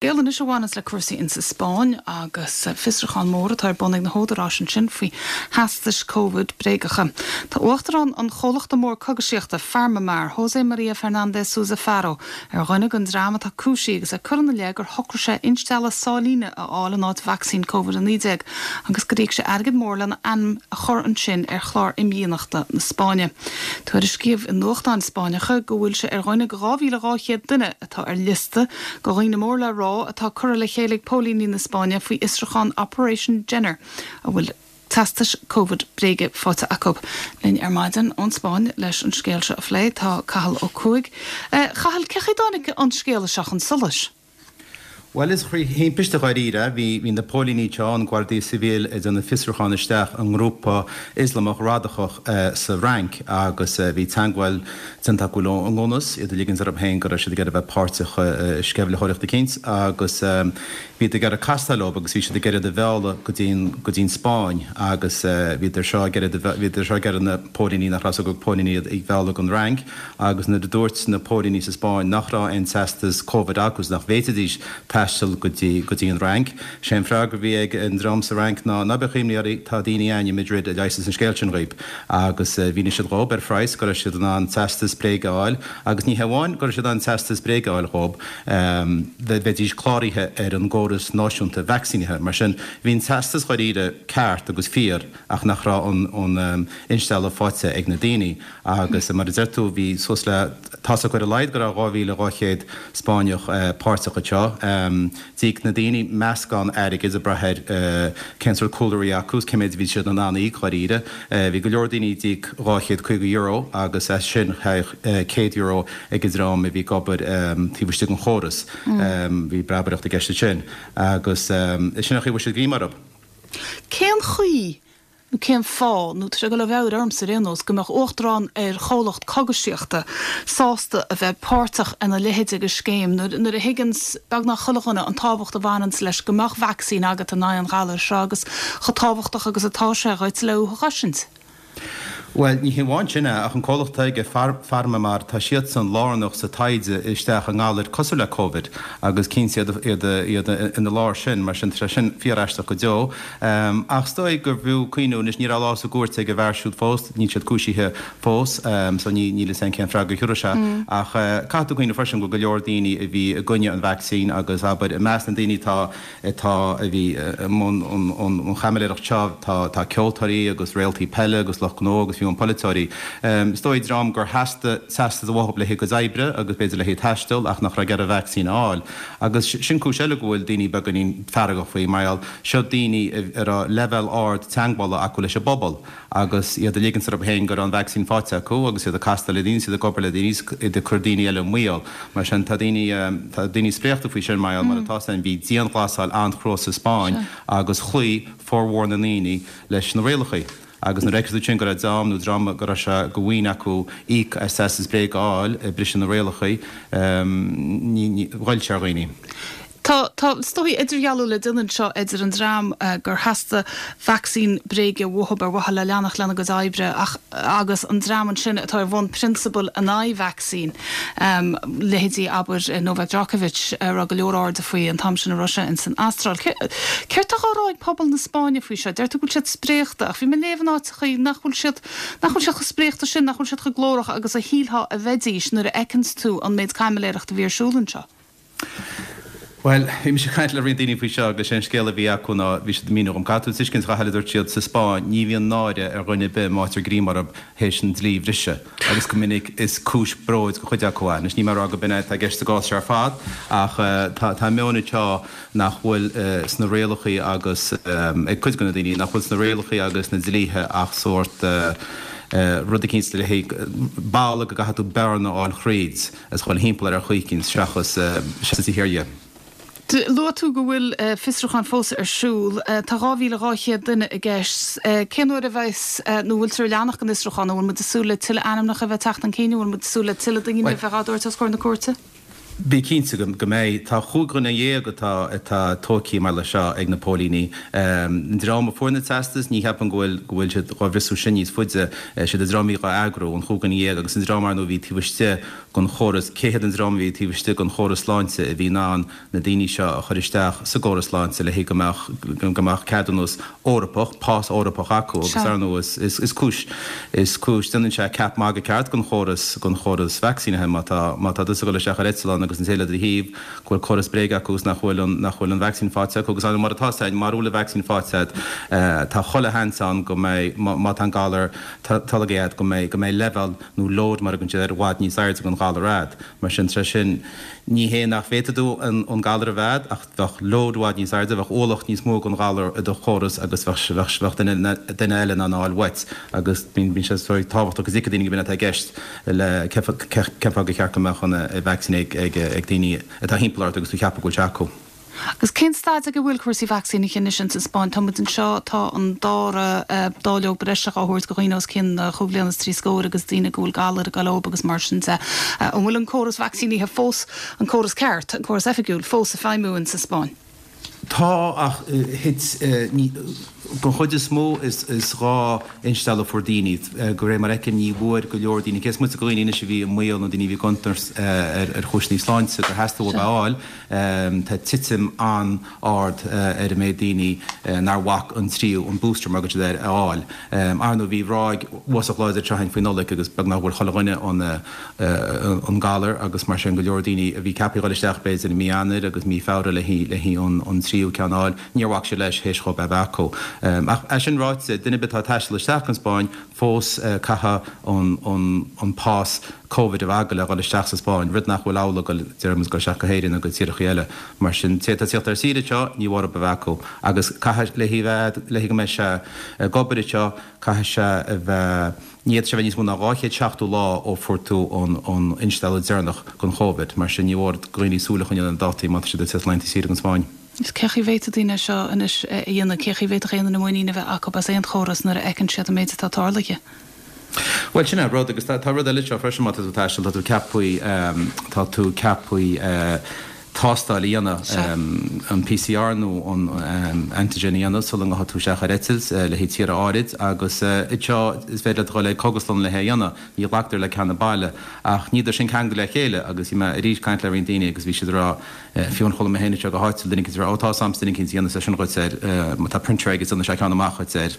Scéal anois a bhaineanns le cúrsaí insa Spáinn agus fiosrúchán mór atá ar bun ag na húdaráis ansin faoi theastais Covid bréagacha. Tá uachtarán an chomhlachta mór cogaisíochta, Pharmamar, José María Fernández Sousa Faro, ar dhuine den dream atá cúisithe agus é curtha ina leith gur shocraigh sé instealladh sáilíne a fháil in áit vacsaín Covid-19 agus gur íoc sé airgead mór lena ainm a chur ansin ar chlár imdhíonachta na Spáinne. Tuairiscíodh i nuachtáin Spáinneacha go bhfuil sé ar dhuine de 2,200 duine atá ar liosta de dhaoine mór le rá atá curtha le chéile ag póilíní na Spáinne faoi fhiosrúchán Operation Jenner a bhfuil teastais Covid bréige faighte acu. Linn ar maidin ón Spáinn leis an scéal seo a phlé tá Cathal Ó Cuaig. A Chathail, cé chaoi a dtáinig an scéal seo chun solais? Bhuel, is trí thimpiste dháiríre. Bhí bhí na póilíní anseo, an Guardia Civil, ag déanamh fiosrúchán isteach i ngrúpa Ioslamach radacach sa Fhrainc agus bhí teagmháil déanta acu leo i ngnúis, iad ag ligint orthu féin go raibh siad ag iarraidh a bheith páirteach i sceimhlitheoireacht eicínt agus bhíodar ag iarraidh castáil leo agus bhí siad ag iarraidh iad a mhealladh go dtí an, go dtí an Spáinn agus bhíodar seo ag iarraidh, bhíodar seo ag iarraidh na póilíní, nach raibh a fhios acu gur póilíní iad, a mhealladh don Fhrainc agus nuair a dúirt na póilíní sa Spáinn nach raibh aon teastas Covid acu is nach bhféadfaidís taisteal go dtí, go dtí an Fhrainc, sé an freagra a bhí ag an dream sa Fhrainc ná, ná bíodh imní oraibh, tá daoine a'ainn i Madrid a leigheasfas an scéal sin dhaoib. Agus mhínigh siad dhób ar phraghas go raibh siad in ann teastas bréige a fháil agus ní hé amháin go raibh siad in ann teastas bréige a fháil dhób, bheidís cláraithe ar an gcóras náisiúnta vacsaínithe. Mar sin, bhí an teastas dháiríre ceart agus fíor ach nach raibh an instealladh faighte ag na daoine. Agus mar a deir tú, bhí suas le, tá's acu ar a laghad go raibh 2,200 Spáinneach páirteach anseo. D'íoc na daoine meascán airgid ag brath ar cén sórt cúlra a bhí acu is cé méid a bhí siad in ann a íoc dháiríre. Bhí go leor daoine a d'íoc €250 agus as sin théadh €100 ag an dream a bhí ag obair taobh istigh den chóras. Bhí breabaireacht i gceist ansin agus sin an chaoi a bhfuair siad greim orthu. Cén chaoi nó cén fáth, nó tá sé ag dul ó mheabhair ormsa ar aon nós, go mbeadh uachtarán ar chomhlacht cogaisíochta sásta a bheith páirteach ina leithéid de scéim nuair a thuigeanns beagnach chuile dhuine an tábhacht a bhaineanns leis go mbeadh vacsaín agat in aghaidh an ghalair seo agus chomh tábhachtach agus atá sé dhuit le thú a chosaint. Bhuel, ní hé amháin sin é, ach an comhlacht atá aige, Pharmamar, tá siadsan lárnach sa taighde isteach i ngalair cosúil le Covid agus cinnte iad iad ina lár sin, mar sin tá sé sin fíor-aisteach go deo. Ach is dóigh gurbh fhiú cuimhniú, anois ní raibh lá sa gcúirt ag an bhfear siúd fós, níl siad cúisithe fós, so ní níl fhios a'inn cén freagra a thiúrfaidh sé. Ach caithfidh tú cuimhniú freisin go bhfuil go leor daoine a bhí i gcoinne an vacsaín agus abair i measc na ndaoine atá atá a bhí i mbun an chaimiléireacht seo tá tá ceoltóirí agus réaltaí peile agus lucht gnó agus fiú amháin polaiteoirí. Is dóigh dream gur theastaigh teastas uathub le haghaidh a gcuid oibre agus b'fhéidir le haghaidh taisteal ach nach raibh ag iarraidh vacsaín a fháil. Agus sin cúis eile go bhfuil daoine beagáinín feargach faoi, mar gheall, seo daoine a raibh leibhéal ard teagmhála acu leis an bpobal agus iad ag ligint orthu féin go raibh an vacsaín faighte acu agus iad ag castáil le daoine, is iad ag obair le daoine, is iad ag cur daoine eile i mbaol. Mar sin, tá daoine, tá daoine spréachta faoi sin mar gheall, mar atá 'fhios a'inn, bhí dianghlasáil an-chrua sa Spáinn agus chloígh formhór na ndaoine leis na rialacha. Agus nuair a fheiceann tú ansin go raibh dream nó dream go raibh sé de mhaoin acu íoc as teastas bréige a fháil ag briseadh na rialacha, ní, ní, ghoill sé ar dhaoine. Tá, tá, is dóigh, idirdhealú le déanamh anseo idir an dream gur theastaigh vacsaín bréige uathub ar mhaithe le leanacht lena gcuid oibre ach, agus an dream ansin atá ar bhonn prionsabail in aghaidh vacsaín, leithéidí, abair, Novak Djokovic, a raibh go leor airde faoi an t-am sin a raibh sé ins an Astráil. Céard tá á rá ag pobal na Spáinne faoi seo? Deir tú go bhfuil siad spréachta ach bhí mé ag léamh in áiteachaí nach bhfuil siad, nach bhfuil siad chomh spréachta sin, nach bhfuil siad chomh glórach agus a shílfeá a bheidís nuair a fheiceanns tú an méid caimiléireachta a bhí ar siúl anseo. Bhuel, bhí mise ag caint le roinnt daoine faoi seo agus sé an scéal a bhí acu ná, bhí siad ag míniú dhom, caithfidh tú tuiscint a Chathail a dúirt siad, sa Spáinn ní bhíonn náire ar dhuine ar bith má fhaightear greim orthu théis an dlí a bhriseadh agus go minic is cúis bróid do chuid acu é. Anois níl mé ag rá go b'in é atá i gceist sa gcás seo ar fad ach tá tá meon anseo nach bhfuil sna rialacha agus ag cuid de na daoine nach bhfuil sna rialacha agus na dlíthe ach sórt rud eicínt le haghaidh balla go gcaithfidh tú bearna a fháil thríd. Is dhul thimpeall air ar chaoi eicínt seachas seachas a thiar dhe. Luaigh tú go bhfuil fiosrúchán fós ar siúl. Tá 2,200 duine i gceist. Cén uair a bheas, nó bhfuiltear ag leanacht den fhiosrúchán? An bhfuil muid ag súil le tuilleadh ainmneacha a bheith ag teacht chun cinn? An bhfuil muid ag súil le tuilleadh daoine a bheith á dtabhairt os comhair na cúirte? Bí cinnte go mbeidh. Tá chúig dhuine dhéag atá atá tóigthe mar le seo ag na póilíní. An dream a fuair na teastais, ní cheapaim go bhfuil go bhfuil siad dhá bhfiosrú sin níos faide. Siad an dream a bhí dhá eagrú, an chúig dhuine dhéag, agus an dream ar ndóigh a bhí taobh istigh den chóras, cé hiad an dream a bhí taobh istigh den chóras sláinte a bhí in ann na daoine seo a chur isteach sa gcóras sláinte le go mbeadh go mbeadh ceadúnas Eorpach, pás Eorpach acu agus ar ndóigh is is cúis is cúis déanann sé ceap magaidh ceart den chóras den chóras vacsaínithe má tá má tá tusa ag dul isteach ar eitleán agus an té le do thaobh go bhfuil córas bréige acu agus nach bhfuil an nach bhfuil an vacsaín faighte acu agus ar ndóigh mar atá sé mara bhfuil an vacsaín faighte agat tá chuile sheans ann go mbeidh má má tá an galar tolgtha agat go mbeidh go mbeidh leibhéal nó load mar a thugann siad air i bhfad níos airde den ghalar agat mar sin tar éis sin ní hé nach bhféadfaidh tú an an galar a bheith agat ach bheadh load i bhfad níos airde, bheadh ualach níos mó den ghalar i do chóras agus bheadh, bheadh duine, duine eile in ann a fháil uait agus bíonn, bíonn sé sórt tábhachtach go dtuigfidh daoine go b'in atá i gceist le cén fáth gur cheart go mbeadh an vacsaín ag, ag, ag daoine atá thimpeall ort agus tú ag ceapadh go bhfuil sé acu. Agus cén staid ag a bhfuil cúrsaí vacsaínithe anois ins an Spáinn? Tá muid anseo, tá an dara dáileog breise á thabhairt go dhaoine os cionn chúig bhliana is trí scóir agus daoine go bhfuil galar ag goil leob agus mar sin de. An bhfuil an córas vacsaínithe fós an córas ceart, an córas oifigiúil, fós ag feidhmiú in sa Spáinn. Tá, ach thit, ní, don chuid is mó is dhá instealladh a fuair daoine. De réir mar a fheicim ní bhfuair go leor daoine, cé is moite de dhaoine anois a bhí i mbaol nó daoine a bhí i gcontúirt ar chúiseanna sláinte gur theastaigh uathu é a fháil, tá titim an-ard ar an méid daoine nár bhac an tríú, an booster mar a thugann siad air, a fháil. Ar ndóigh bhí ráig uafásach láidir anseo againn faoi Nollaig agus beagnach bhfuair chuile dhuine an, an galar agus mar sin go leor daoine a bhí ceaptha a dhul isteach b'fhéidir i mí Eanáir agus mí Feabhra le haghaidh an tríú ceann a fháil, níor bhac siad leis théis dhóibh é a bheith acu. Ach é sin ráite, duine ar bith atá ag taisteal isteach an Spáinn fós caithfidh an pás Covid a bheith agat le dhul isteach sa Spáinn, rud nach bhfuil amhlaidh dul, déarfaidh muid, dul isteach go hÉirinn nó go tíorthacha eile. Mar sin, té atá ag tíocht ar saoire anseo, ní mhór a bheith acu. Agus caithfidh, le haghaidh, le haghaidh go mbeidh sé ag obair anseo, caithfidh sé a bheith, Ní fhéadfaidh sé a bheith níos mó ná 270 lá ó fuair tú an instealladh deireanach den Chóivid. Mar sin, ní mhór do dhaoine súil a choinneáil ar na dátaí má tá siad ag tíocht laethanta saoire go Spáinn. Is cé chaoi bhféadfadh daoine é seo anois a dhéanamh? Cé chaoi bhféadfadh aon duine muinín a bheith acu as aon chóras nuair a fheiceann siad an méid atá tarlaithe? Bhuel, sin é an rud. Agus tá rud eile anseo freisin, má tá tú ag taisteal, tá tú ceaptha, tá tú ceaptha, tástáil a dhéanamh, an PCR nó an antigen a dhéanamh sula ngabhfaidh tú isteach ar eitilt le haghaidh tíortha áirid agus anseo is féidir leat a dhul ag cógaslann le hé a dhéanamh, ní ghlactar le ceann baile ach níl sin ceangailte le chéile agus bhí mé arís ag caint le roinnt daoine agus bhí siad ag rá fiú amháin chuala mé féin anseo go háitiúil duine eicínt ag rá ó tá 's a'msa duine eicínt a dhéanfas é sin dhuit ar má tá printer aige déanfaidh sé ceann amach dhuit ar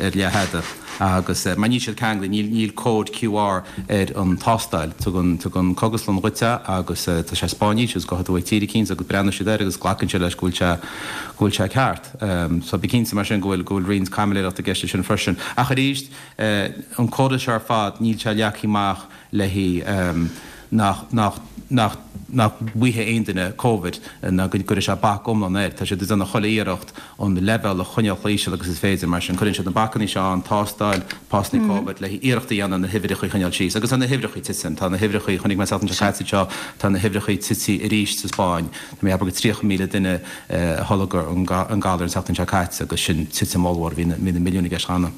ar leathfhada agus mar níl siad ceangailte, níl níl cód QR ar an tástáil. Tugann tugann cógaslann dhuit é agus tá sé Spáinnis agus gabhfaidh tú ag tír eicínt agus breathnóidh siad air agus glacann siad leis go bhfuil sé go bhfuil sé ceart. So bí cinnte mar sin go bhfuil go bhfuil roinnt caimiléireachta i gceist leis sin freisin. Ach arís an córas seo ar fad níl sé leagtha amach le haghaidh nach nach nach nach bhfaighidh aon duine Covid ná go gcuirfidh sé bac iomlán air. Tá siad ag déanamh chuile iarracht an leibhéal a choinneáil chomh íseal agus is féidir. Mar sin, cuireann siad na bacannaí seo ann, tástáil, pasanna Covid, le hiarracht a dhéanamh na huimhreacha a choinneáil síos. Agus tá na huimhreacha ag titim. Tá na huimhreacha, chonaic mé an tseachtain seo caite seo, tá na huimhreacha tite arís sa Spáinn. Tá mé ag ceapadh gur 30,000 duine a tholg an galar an tseachtain seo caite agus sin titim ollmhór. Bhí na milliúin i gceist cheana.